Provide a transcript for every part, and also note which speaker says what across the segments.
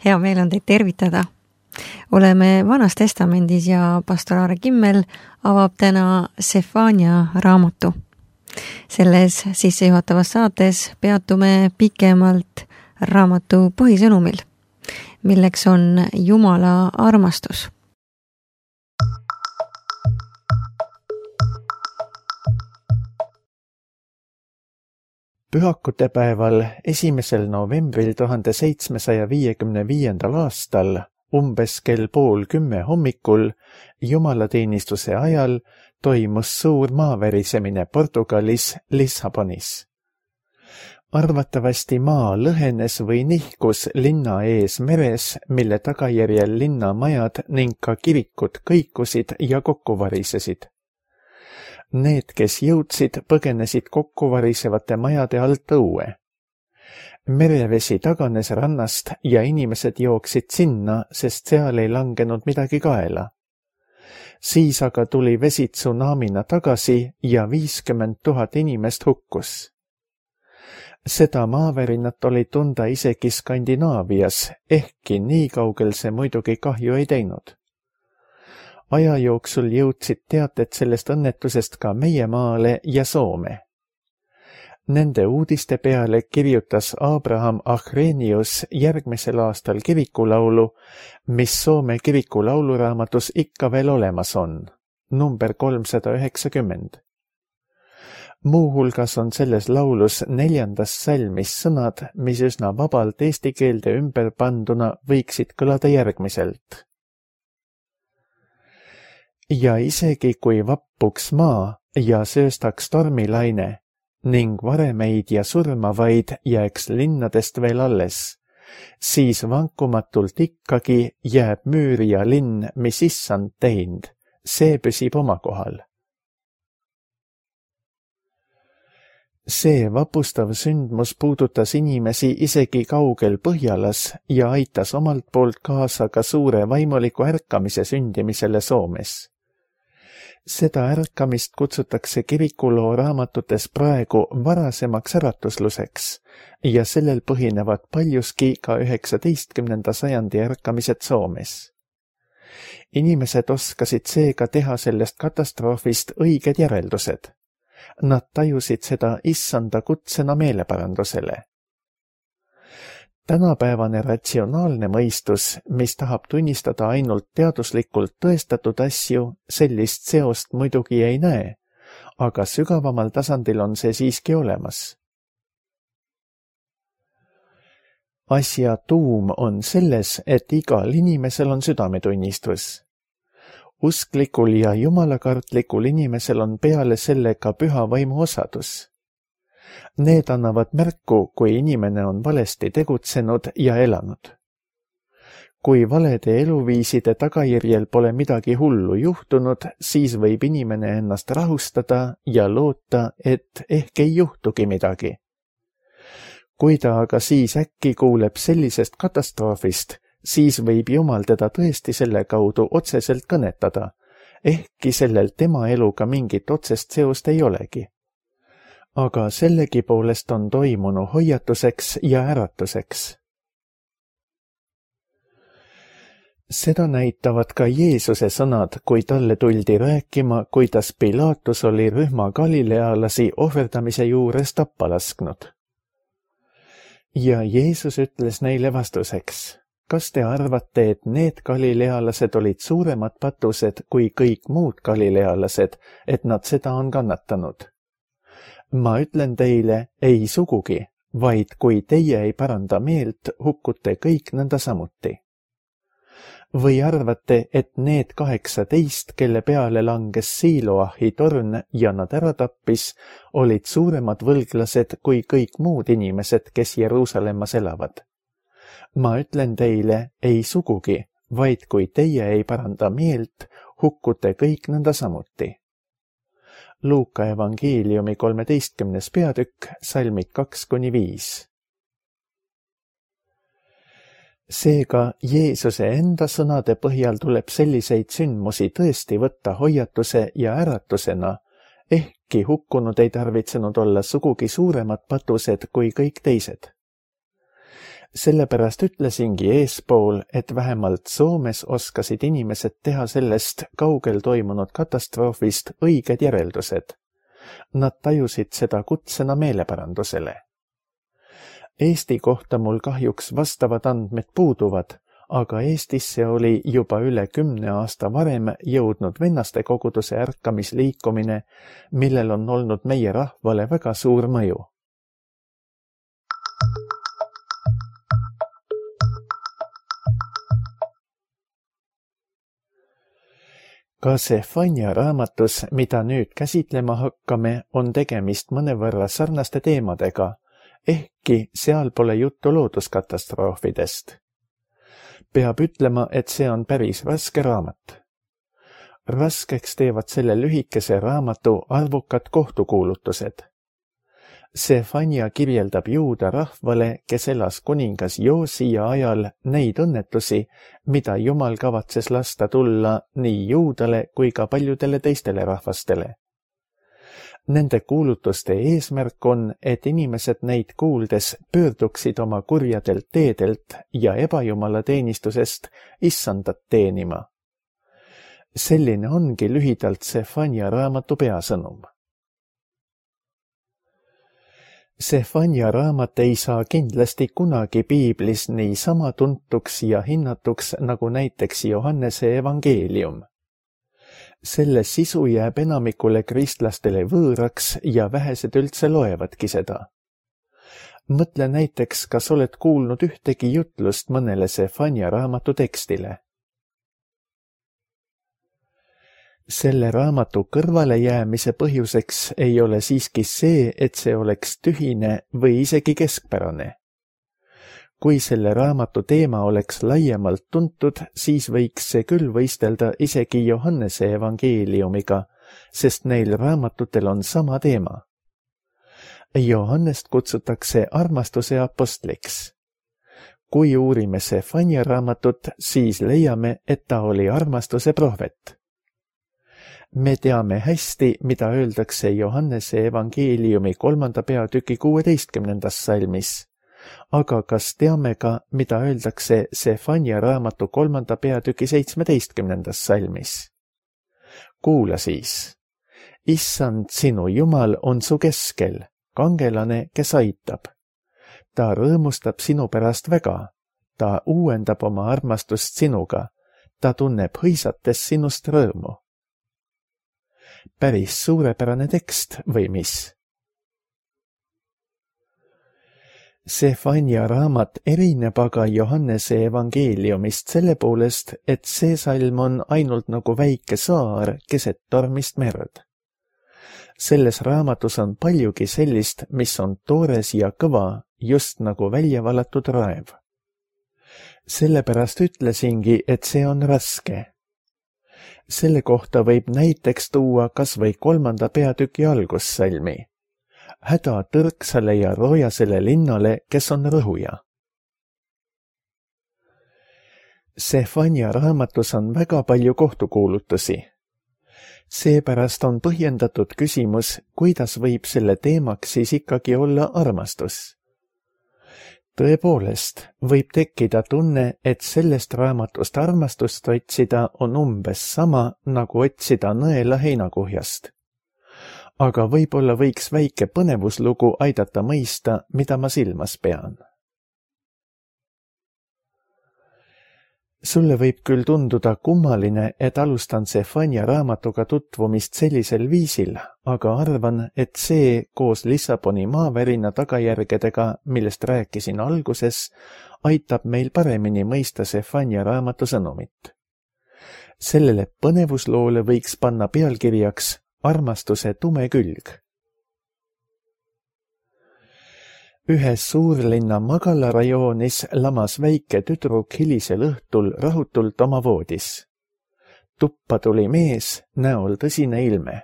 Speaker 1: Hea meel on teid tervitada. Oleme Vanas Testamendis ja pastor Aare Kimmel avab täna Sefania raamatu. Selles sissejuhatavas saates peatume pikemalt raamatu põhisõnumil, milleks on Jumala armastus.
Speaker 2: Pühakutepäeval 1. novembril 1755. aastal umbes kell 9:30 hommikul jumalateenistuse ajal toimus suur maaverisemine Portugalis Lissabonis. Arvatavasti maa lõhenes või nihkus linna ees meres, mille tagajärjel linnamajad ning ka kirikud kõikusid ja kokku varisesid. Need, kes jõudsid, põgenesid kokkuvarisevate majade alt õue. Merevesi taganes rannast ja inimesed jooksid sinna, sest seal ei langenud midagi kaela. Siis aga tuli vesi tsunamina tagasi ja 50 000 inimest hukkus. Seda maavärinat oli tunda isegi Skandinaavias, ehkki nii kaugel see muidugi kahju ei teinud. Aja jooksul jõudsid teated sellest õnnetusest ka meie maale ja Soome. Nende uudiste peale kirjutas Abraham Achrenius järgmisel aastal kirikulaulu, mis Soome kirikulauluraamatus ikka veel olemas on, number 390. Muuhulgas on selles laulus 4. salmis sõnad, mis üsna vabalt eesti keelde ümber panduna võiksid kõlada järgmiselt. Ja isegi kui vappuks maa ja sööstaks tormilaine ning varemeid ja surmavaid jääks linnadest veel alles, siis vankumatult ikkagi jääb müür ja linn, mis issand teinud, see püsib oma kohal. See vapustav sündmus puudutas inimesi isegi kaugel Põhjalas ja aitas omalt poolt kaasa ka suure vaimuliku ärkamise sündimisele Soomes. Seda ärkamist kutsutakse kirikuloo raamatutes praegu varasemaks äratusluseks ja sellel põhinevad paljuski ka 19. sajandi ärkamised Soomes. Inimesed oskasid seega teha sellest katastroofist õiged järeldused. Nad tajusid seda issanda kutsena meeleparandusele. Tänapäevane ratsionaalne mõistus, mis tahab tunnistada ainult teaduslikult tõestatud asju, sellist seost muidugi ei näe, aga sügavamal tasandil on see siiski olemas. Asja tuum on selles, et igal inimesel on südametunnistus. Usklikul ja jumalakartlikul inimesel on peale selle ka püha vaimu osadus. Need annavad märku, kui inimene on valesti tegutsenud ja elanud. Kui valede eluviiside tagajärjel pole midagi hullu juhtunud, siis võib inimene ennast rahustada ja loota, et ehk ei juhtugi midagi. Kui ta aga siis äkki kuuleb sellisest katastroofist, siis võib Jumal teda tõesti selle kaudu otseselt kõnetada, ehkki sellel tema eluga mingit otsest seost ei olegi. Aga sellegipoolest on toimunu hoiatuseks ja äratuseks. Seda näitavad ka Jeesuse sõnad, kui talle tuldi rääkima, kuidas Pilatus oli rühma galilealasi ohverdamise juures tappa lasknud. Ja Jeesus ütles neile vastuseks, kas te arvate, et need galilealased olid suuremad patused kui kõik muud galilealased, et nad seda on kannatanud? Ma ütlen teile, ei sugugi, vaid kui teie ei paranda meelt, hukkute kõik nõnda samuti. Või arvate, et need 18, kelle peale langes Siloahi torn ja nad ära tappis, olid suuremad võlglased kui kõik muud inimesed, kes Jeruusalemmas elavad? Ma ütlen teile, ei sugugi, vaid kui teie ei paranda meelt, hukkute kõik nõnda samuti. Luuka evangeeliumi 13. peatükk, salmid 2-5. Seega Jeesuse enda sõnade põhjal tuleb selliseid sündmusi tõesti võtta hoiatuse ja äratusena, ehkki hukkunud ei tarvitsenud olla sugugi suuremad patused kui kõik teised. Sellepärast ütlesingi eespool, et vähemalt Soomes oskasid inimesed teha sellest kaugel toimunud katastroofist õiged järeldused. Nad tajusid seda kutsena meeleparandusele. Eesti kohta mul kahjuks vastavad andmed puuduvad, aga Eestisse oli juba üle 10 aasta varem jõudnud vennaste koguduse ärkamisliikumine, millel on olnud meie rahvale väga suur mõju. Ka Sefania raamatus, mida nüüd käsitlema hakkame, on tegemist mõnevõrra sarnaste teemadega, ehkki seal pole juttu looduskatastroofidest. Peab ütlema, et see on päris raske raamat. Raskeks teevad selle lühikese raamatu arvukad kohtukuulutused. Sefania kirjeldab juuda rahvale, kes elas kuningas Joosia ajal, neid õnnetusi, mida Jumal kavatses lasta tulla nii juudale kui ka paljudele teistele rahvastele. Nende kuulutuste eesmärk on, et inimesed neid kuuldes pöörduksid oma kurjadelt teedelt ja ebajumala teenistusest issandat teenima. Selline ongi lühidalt Sefania raamatu peasõnum. Sefania raamat ei saa kindlasti kunagi piiblis niisama tuntuks ja hinnatuks nagu näiteks Johannese evangeelium. Selle sisu jääb enamikule kristlastele võõraks ja vähesed üldse loevadki seda. Mõtle näiteks, kas oled kuulnud ühtegi jutlust mõnele Sefania raamatu tekstile. Selle raamatu kõrvalejäämise põhjuseks ei ole siiski see, et see oleks tühine või isegi keskpärane. Kui selle raamatu teema oleks laiemalt tuntud, siis võiks see küll võistelda isegi Johannese evangeeliumiga, sest neil raamatutel on sama teema. Johannest kutsutakse armastuse apostliks. Kui uurime Sefania raamatut, siis leiame, et ta oli armastuse prohvet. Me teame hästi, mida öeldakse Johannese evangeeliumi 3. peatüki 16. salmis, aga kas teame ka, mida öeldakse Sefania raamatu 3. peatüki 17. salmis? Kuula siis. Issand, sinu Jumal on su keskel, kangelane, kes aitab. Ta rõõmustab sinu pärast väga, ta uuendab oma armastust sinuga, ta tunneb hõisates sinust rõõmu. Päris suurepärane tekst või mis? Sefania raamat erineb aga Johannese evangeeliumist selle poolest, et see salm on ainult nagu väike saar keset tormist merd. Selles raamatus on paljugi sellist, mis on toores ja kõva, just nagu välja valatud raev. Sellepärast ütlesingi, et see on raske. Selle kohta võib näiteks tuua kas või 3. peatüki algussalmi. Häda tõrksale ja roojasele linnale, kes on rõhuja. Sefania raamatus on väga palju kohtukuulutusi. Seepärast on põhjendatud küsimus, kuidas võib selle teemaks siis ikkagi olla armastus. Tõepoolest, võib tekkida tunne, et sellest raamatust armastust otsida on umbes sama, nagu otsida nõela heinakuhjast. Aga võib-olla võiks väike põnevuslugu aidata mõista, mida ma silmas pean. Sulle võib küll tunduda kummaline, et alustan Sefania raamatuga tutvumist sellisel viisil, aga arvan, et see koos Lissaboni maavärina tagajärgedega, millest rääkisin alguses, aitab meil paremini mõista Sefania raamatu sõnumit. Sellele põnevusloole võiks panna pealkirjaks Armastuse tume külg. Ühes suurlinna magalarajoonis lamas väike tüdruk hilisel õhtul rahutult oma voodis. Tuppa tuli mees, näol tõsine ilme.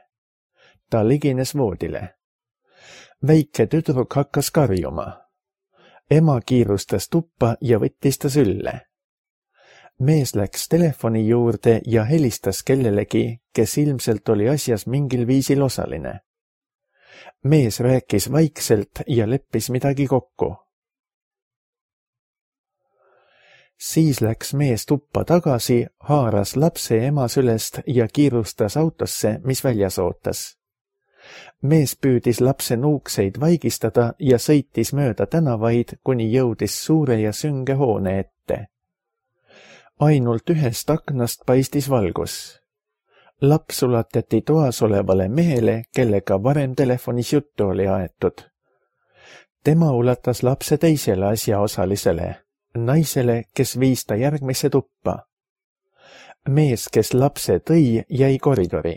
Speaker 2: Ta ligines voodile. Väike tüdruk hakkas karjuma. Ema kiirustas tuppa ja võttis ta sülle. Mees läks telefoni juurde ja helistas kellelegi, kes ilmselt oli asjas mingil viisil osaline. Mees rääkis vaikselt ja leppis midagi kokku. Siis läks mees tuppa tagasi, haaras lapse ema sülest ja kiirustas autosse, mis väljas ootas. Mees püüdis lapse nuukseid vaigistada ja sõitis mööda tänavaid, kuni jõudis suure ja sünge hoone ette. Ainult ühest aknast paistis valgus. Laps ulatati toas olevale mehele, kellega varem telefonis juttu oli aetud. Tema ulatas lapse teisele asjaosalisele, naisele, kes viis ta järgmisse tuppa. Mees, kes lapse tõi, jäi koridori.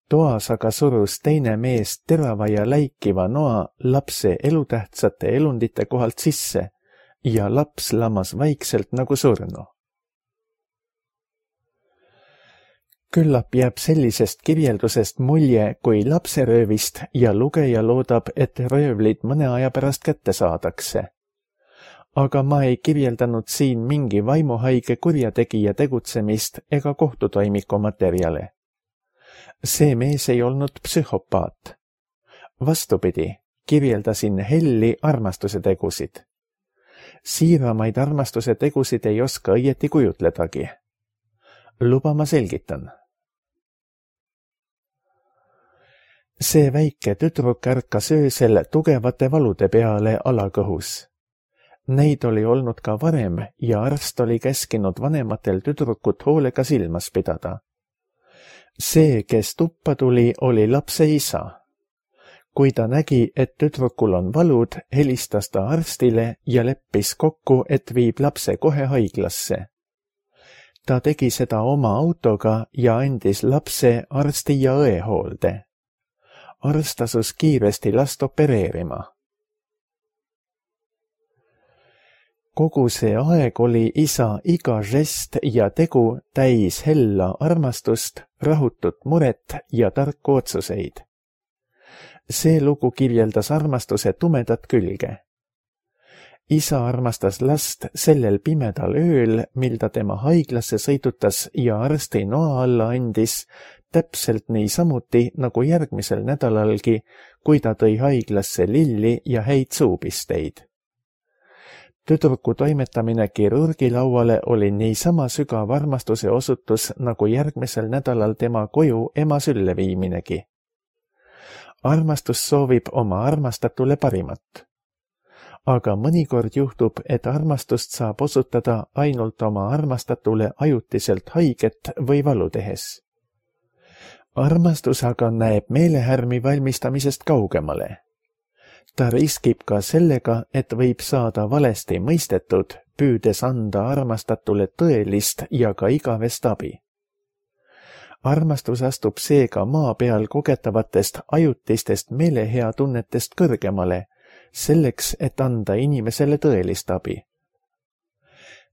Speaker 2: Toas aga surus teine mees terava ja läikiva noa lapse elutähtsate elundite kohalt sisse ja laps lamas vaikselt nagu surnu. Küllap jääb sellisest kirjeldusest mulje kui lapseröövist ja lugeja loodab, et röövlid mõne aja pärast kätte saadakse. Aga ma ei kirjeldanud siin mingi vaimuhaige kurjategija tegutsemist ega kohtutoimiku materjale. See mees ei olnud psühhopaat. Vastupidi, kirjeldasin helli armastuse tegusid. Siiramaid armastuse tegusid ei oska õieti kujutledagi. Luba ma selgitan. See väike tüdruk ärkas öösel tugevate valude peale alakõhus. Neid oli olnud ka varem ja arst oli käskinud vanematel tüdrukut hoolega silmas pidada. See, kes tuppa tuli, oli lapse isa. Kui ta nägi, et tüdrukul on valud, helistas ta arstile ja leppis kokku, et viib lapse kohe haiglasse. Ta tegi seda oma autoga ja andis lapse arsti ja õe hoolde. Arst asus kiiresti last opereerima. Kogu see aeg oli isa iga žest ja tegu täis hella armastust, rahutut muret ja tarku otsuseid. See lugu kirjeldas armastuse tumedat külge. Isa armastas last sellel pimedal ööl, mil ta tema haiglasse sõidutas ja arsti noa alla andis, täpselt niisamuti nagu järgmisel nädalalgi, kui ta tõi haiglasse lilli ja häid suupisteid. Tüdruku toimetamine kirurgilauale oli niisama sügav armastuse osutus nagu järgmisel nädalal tema koju ema sülle viiminegi. Armastus soovib oma armastatule parimat. Aga mõnikord juhtub, et armastust saab osutada ainult oma armastatule ajutiselt haiget või valu tehes. Armastus aga näeb meelehärmi valmistamisest kaugemale. Ta riskib ka sellega, et võib saada valesti mõistetud, püüdes anda armastatule tõelist ja ka igavest abi. Armastus astub seega maa peal kogetavatest ajutistest meelehea tunnetest kõrgemale, selleks, et anda inimesele tõelist abi.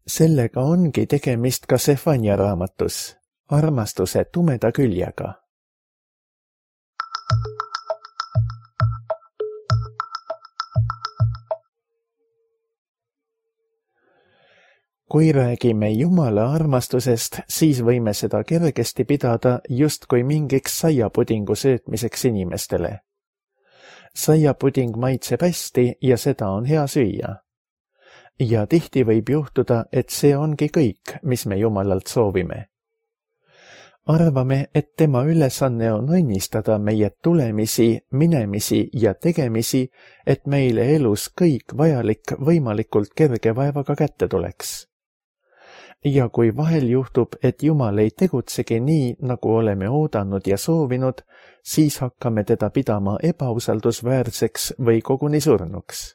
Speaker 2: Sellega ongi tegemist ka Sefania raamatus, armastuse tumeda küljega. Kui räägime Jumala armastusest, siis võime seda kergesti pidada justkui mingiks saiapudingu söötmiseks inimestele. Saiapuding maitseb hästi ja seda on hea süüa. Ja tihti võib juhtuda, et see ongi kõik, mis me Jumalalt soovime. Arvame, et tema ülesanne on õnnistada meie tulemisi, minemisi ja tegemisi, et meile elus kõik vajalik võimalikult kerge vaevaga kätte tuleks. Ja kui vahel juhtub, et Jumal ei tegutsegi nii, nagu oleme oodanud ja soovinud, siis hakkame teda pidama ebausaldusväärseks või koguni surnuks.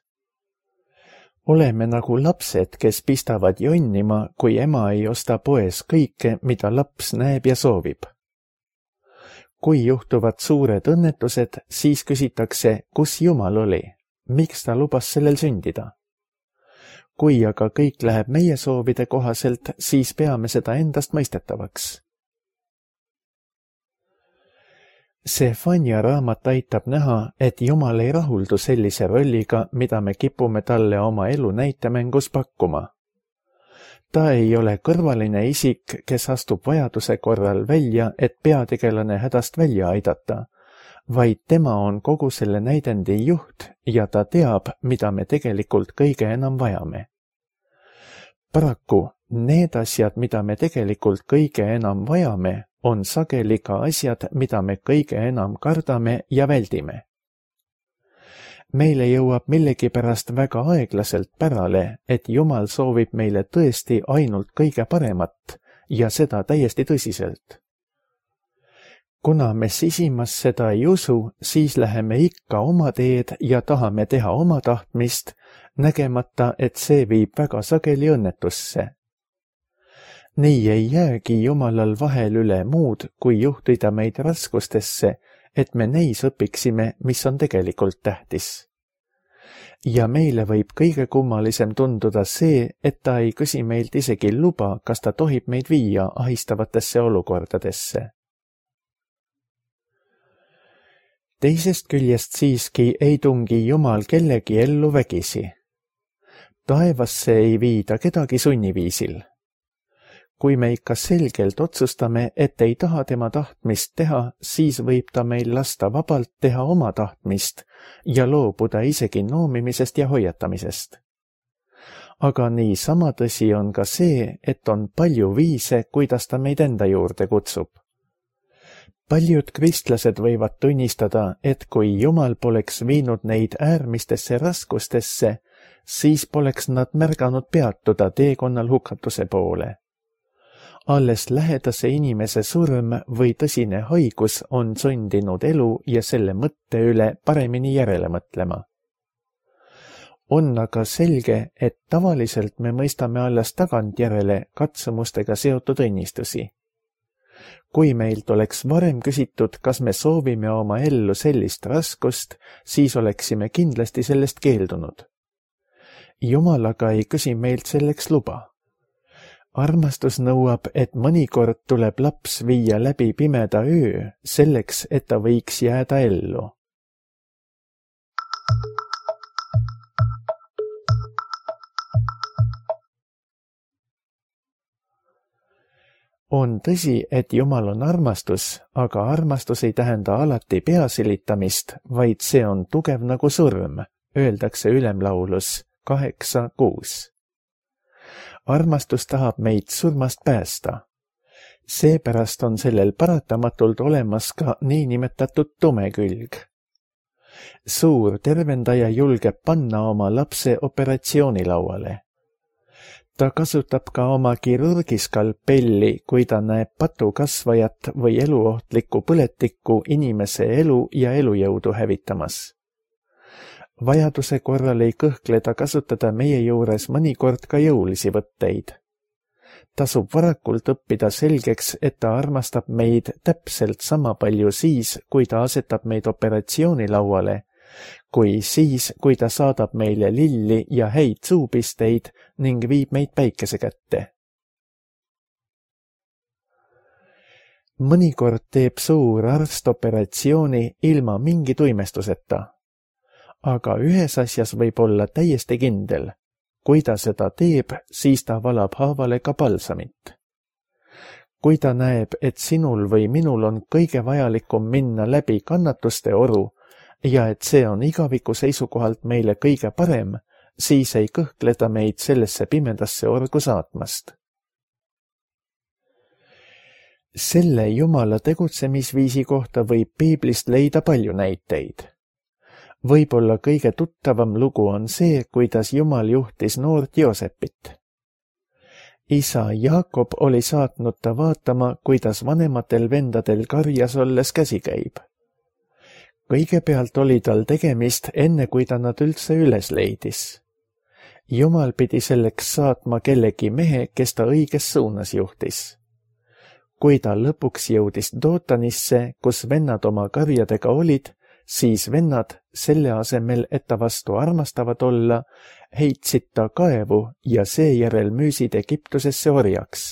Speaker 2: Oleme nagu lapsed, kes pistavad jonnima, kui ema ei osta poes kõike, mida laps näeb ja soovib. Kui juhtuvad suured õnnetused, siis küsitakse, kus Jumal oli, miks ta lubas sellel sündida. Kui aga kõik läheb meie soovide kohaselt, siis peame seda endast mõistetavaks. Sefania raamat aitab näha, et Jumal ei rahuldu sellise rolliga, mida me kipume talle oma elu näitemängus pakkuma. Ta ei ole kõrvaline isik, kes astub vajaduse korral välja, et peategelane hädast välja aidata, vaid tema on kogu selle näidendi juht ja ta teab, mida me tegelikult kõige enam vajame. Paraku need asjad, mida me tegelikult kõige enam vajame, on sageli ka asjad, mida me kõige enam kardame ja väldime. Meile jõuab millegipärast väga aeglaselt pärale, et Jumal soovib meile tõesti ainult kõige paremat ja seda täiesti tõsiselt. Kuna me sisimas seda ei usu, siis läheme ikka oma teed ja tahame teha oma tahtmist, nägemata, et see viib väga sageli õnnetusse. Nii ei jäägi Jumalal vahel üle muud, kui juhtida meid raskustesse, et me neis õpiksime, mis on tegelikult tähtis. Ja meile võib kõige kummalisem tunduda see, et ta ei küsi meilt isegi luba, kas ta tohib meid viia ahistavatesse olukordadesse. Teisest küljest siiski ei tungi Jumal kellegi ellu vägisi. Taevasse ei viida kedagi sunniviisil. Kui me ikka selgelt otsustame, et ei taha tema tahtmist teha, siis võib ta meil lasta vabalt teha oma tahtmist ja loobuda isegi noomimisest ja hoiatamisest. Aga niisama tõsi on ka see, et on palju viise, kuidas ta meid enda juurde kutsub. Paljud kristlased võivad tunnistada, et kui Jumal poleks viinud neid äärmistesse raskustesse, siis poleks nad märganud peatuda teekonnal hukatuse poole. Alles lähedase inimese surm või tõsine haigus on sundinud elu ja selle mõtte üle paremini järele mõtlema. On aga selge, et tavaliselt me mõistame alles tagantjärele katsumustega seotud õnnistusi. Kui meilt oleks varem küsitud, kas me soovime oma ellu sellist raskust, siis oleksime kindlasti sellest keeldunud. Jumal aga ei küsi meilt selleks luba. Armastus nõuab, et mõnikord tuleb laps viia läbi pimeda öö, selleks, et ta võiks jääda ellu. On tõsi, et Jumal on armastus, aga armastus ei tähenda alati peasilitamist, vaid see on tugev nagu surm, öeldakse ülemlaulus 8:6. Armastus tahab meid surmast päästa. Seepärast on sellel paratamatult olemas ka niinimetatud tume külg. Suur tervendaja julgeb panna oma lapse operatsioonilauale. Ta kasutab ka oma kirurgiskalpelli, kui ta näeb patukasvajat või eluohtlikku põletikku inimese elu ja elujõudu hävitamas. Vajaduse korral ei kõhkle ta kasutada meie juures mõnikord ka jõulisi võtteid. Tasub varakult õppida selgeks, et ta armastab meid täpselt sama palju siis, kui ta asetab meid operatsioonilauale, kui siis, kui ta saadab meile lilli ja häid suupisteid ning viib meid päikese kätte. Mõnikord teeb suur arst operatsiooni ilma mingi tuimestuseta. Aga ühes asjas võib olla täiesti kindel. Kui ta seda teeb, siis ta valab haavale ka balsamit. Kui ta näeb, et sinul või minul on kõige vajalikum minna läbi kannatuste oru ja et see on igaviku seisukohalt meile kõige parem, siis ei kõhkle ta meid sellesse pimedasse orgu saatmast. Selle Jumala tegutsemisviisi kohta võib Piiblist leida palju näiteid. Võib-olla kõige tuttavam lugu on see, kuidas Jumal juhtis noort Joosepit. Isa Jaakob oli saatnud ta vaatama, kuidas vanematel vendadel karjas olles käsi käib. Kõigepealt oli tal tegemist, enne kui ta nad üldse üles leidis. Jumal pidi selleks saatma kellegi mehe, kes ta õiges suunas juhtis. Kui ta lõpuks jõudis Dootanisse, kus vennad oma karjadega olid, siis vennad, selle asemel, et ta vastu armastavad olla, heitsid ta kaevu ja seejärel müüsid Egiptusesse orjaks.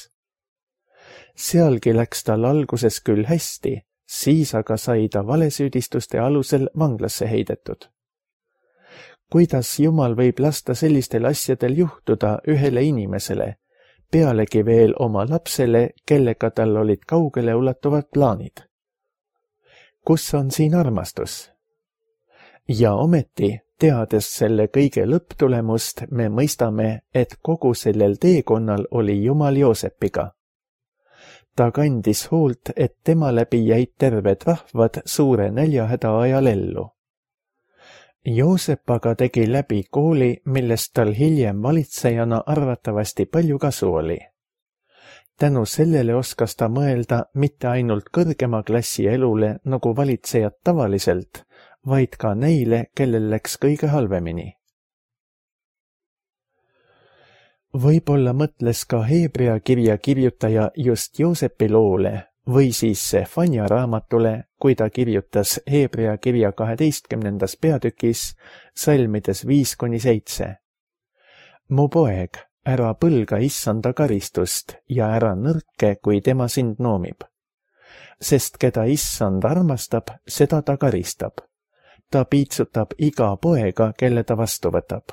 Speaker 2: Sealgi läks tal alguses küll hästi, siis aga sai ta valesüüdistuste alusel vanglasse heidetud. Kuidas Jumal võib lasta sellistel asjadel juhtuda ühele inimesele, pealegi veel oma lapsele, kellega tal olid kaugele ulatuvad plaanid? Kus on siin armastus? Ja ometi Teades selle kõige lõpptulemust, me mõistame, et kogu sellel teekonnal oli Jumal Joosepiga. Ta kandis hoolt, et tema läbi jäid terved rahvad suure näljahäda ajal ellu. Joosep aga tegi läbi kooli, millest tal hiljem valitsejana arvatavasti palju kasu oli. Tänu sellele oskas ta mõelda mitte ainult kõrgema klassi elule nagu valitsejad tavaliselt, vaid ka neile, kellel läks kõige halvemini. Võib-olla mõtles ka Hebrea kirja kirjutaja just Joosepi loole või siis Sefania raamatule, kui ta kirjutas Hebrea kirja 12. peatükis salmides 5-7. Mu poeg, ära põlga issanda karistust ja ära nõrke, kui tema sind noomib. Sest keda issand armastab, seda ta karistab. Ta piitsutab iga poega, kelle ta vastu võtab.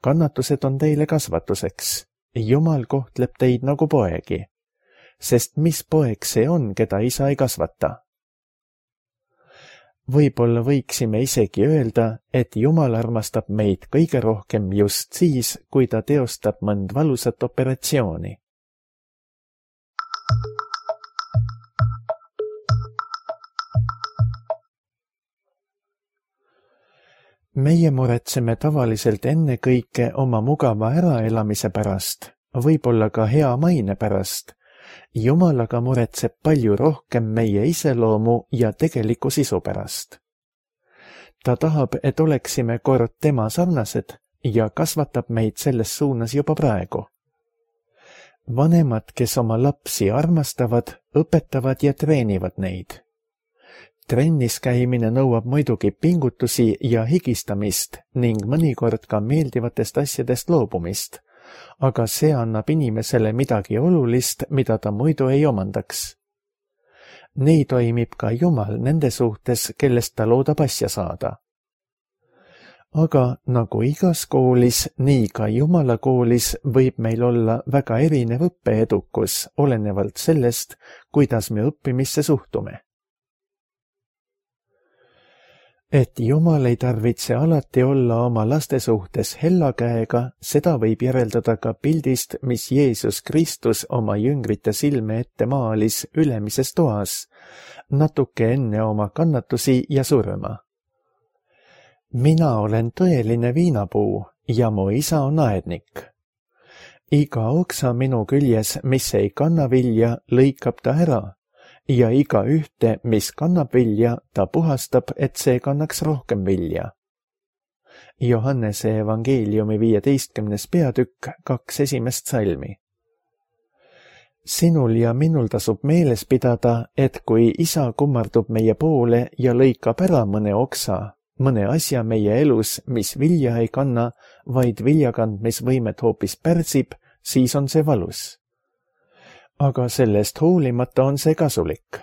Speaker 2: Kannatused on teile kasvatuseks. Jumal kohtleb teid nagu poegi. Sest mis poeg see on, keda isa ei kasvata? Võib-olla võiksime isegi öelda, et Jumal armastab meid kõige rohkem just siis, kui ta teostab mõnd valusat operatsiooni. Meie muretseme tavaliselt ennekõike oma mugava äraelamise pärast, võib-olla ka hea maine pärast. Jumal aga muretseb palju rohkem meie iseloomu ja tegeliku sisu pärast. Ta tahab, et oleksime kord tema sarnased ja kasvatab meid selles suunas juba praegu. Vanemad, kes oma lapsi armastavad, õpetavad ja treenivad neid. Trennis käimine nõuab muidugi pingutusi ja higistamist ning mõnikord ka meeldivatest asjadest loobumist, aga see annab inimesele midagi olulist, mida ta muidu ei omandaks. Nii toimib ka Jumal nende suhtes, kellest ta loodab asja saada. Aga nagu igas koolis, nii ka Jumala koolis võib meil olla väga erinev õppeedukus, olenevalt sellest, kuidas me õppimisse suhtume. Et Jumal ei tarvitse alati olla oma laste suhtes hella käega, seda võib järeldada ka pildist, mis Jeesus Kristus oma jüngrite silme ette maalis ülemises toas, natuke enne oma kannatusi ja surma. Mina olen tõeline viinapuu ja mu isa on aednik. Iga oksa minu küljes, mis ei kanna vilja, lõikab ta ära. Ja iga ühte, mis kannab vilja, ta puhastab, et see kannaks rohkem vilja. Johannese evangeeliumi 15. peatükk 2 esimest salmi. Sinul ja minul tasub meeles pidada, et kui isa kummardub meie poole ja lõikab ära mõne oksa, mõne asja meie elus, mis vilja ei kanna, vaid viljakandmisvõimet hoopis pärsib, siis on see valus. Aga sellest hoolimata on see kasulik.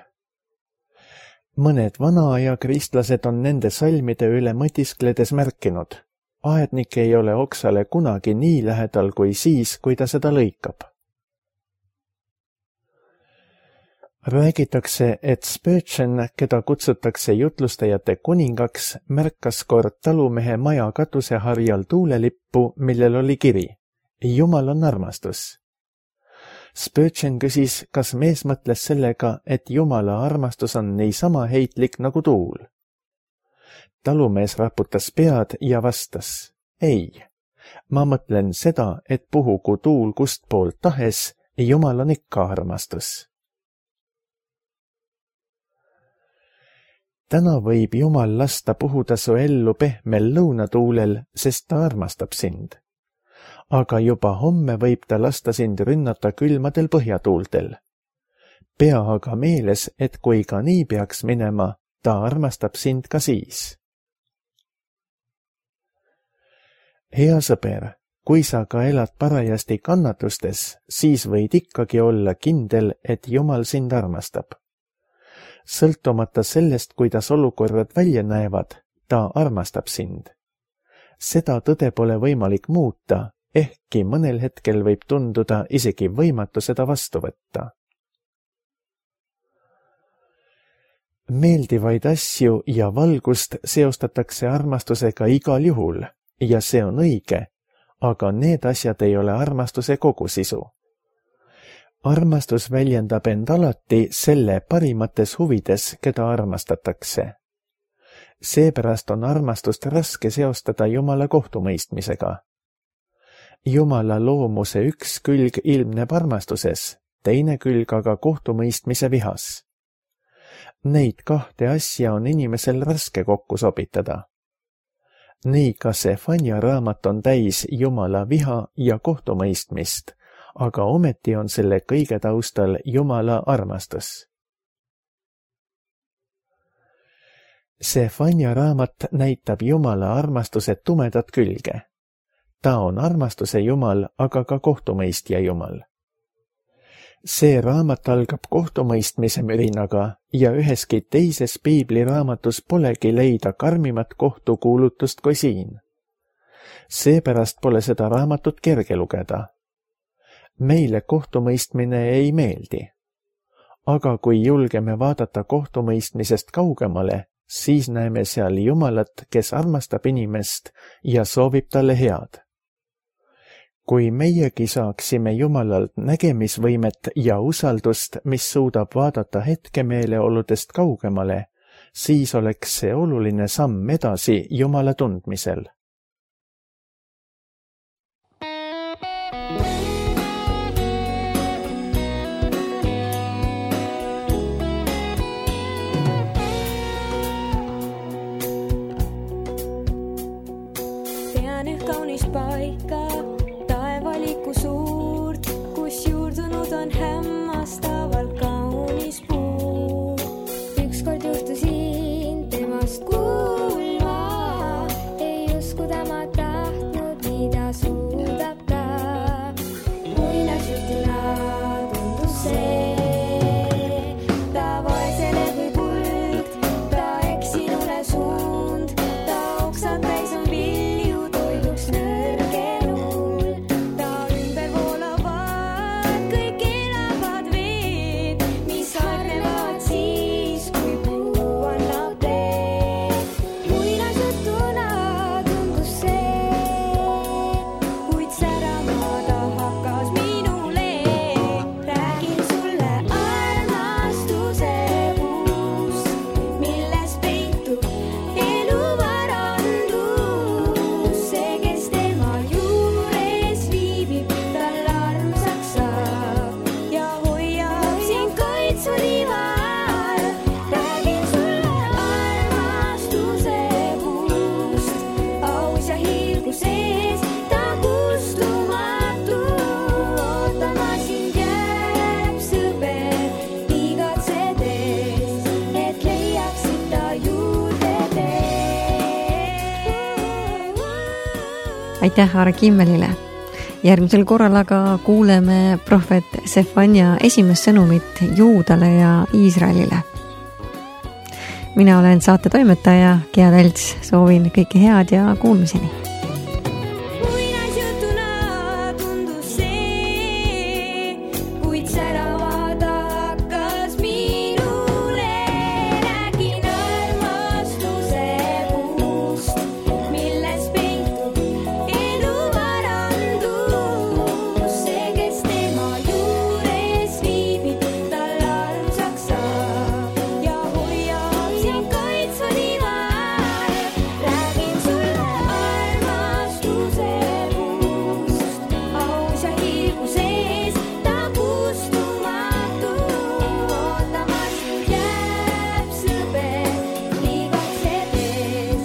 Speaker 2: Mõned vanaaja kristlased on nende salmide üle mõtiskledes märkinud. Aednik ei ole oksale kunagi nii lähedal kui siis, kui ta seda lõikab. Räägitakse, et Spurgeon, keda kutsutakse jutlustajate kuningaks, märkas kord talumehe maja katuseharjal tuulelippu, millel oli kiri: Jumal on armastus. Spurgeon küsis, kas mees mõtles sellega, et Jumala armastus on niisama heitlik nagu tuul. Talumees raputas pead ja vastas: ei, ma mõtlen seda, et puhugu tuul kustpoolt tahes, Jumal on ikka armastus. Täna võib Jumal lasta puhuda su ellu pehmel lõunatuulel, sest ta armastab sind. Aga juba homme võib ta lasta sind rünnata külmadel põhjatuultel. Pea aga meeles, et kui ka nii peaks minema, ta armastab sind ka siis. Hea sõber, kui sa ka elad parajasti kannatustes, siis võid ikkagi olla kindel, et Jumal sind armastab. Sõltumata sellest, kuidas olukorrad välja näevad, ta armastab sind. Seda tõde pole võimalik muuta, ehkki mõnel hetkel võib tunduda isegi võimatu seda vastu võtta. Meeldivaid asju ja valgust seostatakse armastusega igal juhul ja see on õige, aga need asjad ei ole armastuse kogusisu. Armastus väljendab end alati selle parimates huvides, keda armastatakse. Seepärast on armastust raske seostada Jumala kohtumõistmisega. Jumala loomuse üks külg ilmneb armastuses, teine külg aga kohtumõistmise vihas. Neid kahte asja on inimesel raske kokku sobitada. Nii ka Sefanja raamat on täis Jumala viha ja kohtumõistmist, aga ometi on selle kõige taustal Jumala armastus. Sefanja raamat näitab Jumala armastuse tumedat külge. Ta on armastuse Jumal, aga ka kohtumõistja Jumal. See raamat algab kohtumõistmise mürinaga ja üheski teises piibliraamatus polegi leida karmimat kohtukuulutust kui siin. Seepärast pole seda raamatut kerge lugeda. Meile kohtumõistmine ei meeldi. Aga kui julgeme vaadata kohtumõistmisest kaugemale, siis näeme seal Jumalat, kes armastab inimest ja soovib talle head. Kui meiegi saaksime Jumalalt nägemisvõimet ja usaldust, mis suudab vaadata hetkemeeleoludest kaugemale, siis oleks see oluline samm edasi Jumala tundmisel.
Speaker 3: Tean kaunist paika, taevaliku suurt, kus juurdunud on hämmastavalt kaunis puu. Ükskord juhtusin temast kuulma, ei usku tema tahtnud, mida suudab ta. Muinasjutuna tundus see, ta vaesele kui kuld, ta eksinule suund, ta oksad täis on vilju toiduks nõrgenul. Ta ümber voolavad kõik elavad veed, mis harnevad siis, kui puu annab teed. Muinasjutuna tundus see, kuid särama ta hakkas minule. Räägin sulle armastuse puust, milles peitub elu varandus. See, kes tema juures viibib, tal armsaks saab ja hoiab sind kaitsurival. Räägin sulle armastuse puust, aus ja hiilgu sees, ta kustumatu. Ootama sind jääb sõber, igatsedes, et leiaksid ta juurde tee.
Speaker 1: aitäh Aare Kimmelile. Järgmisel korral aga kuuleme prohvet Sefanja esimest sõnumit Juudale ja Iisraelile. Mina olen saate toimetaja Gea Telts, soovin kõike head ja kuulmiseni.
Speaker 3: Muinasjutuna tundus see, kuid särama ta hakkas minule. Räägin armastuse puust, milles peitub elu varandus. See, kes tema juures viibib, tal armsaks saab ja hoiab sind kaitsurival. Räägin sulle armastuse puust, aus ja hiilgu sees, ta kustumatu. Ootama sind jääb sõber, igatsedes,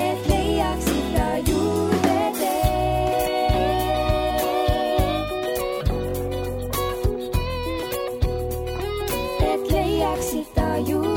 Speaker 3: et leiaksid ta juurde tee. Et leiaksid ta juurde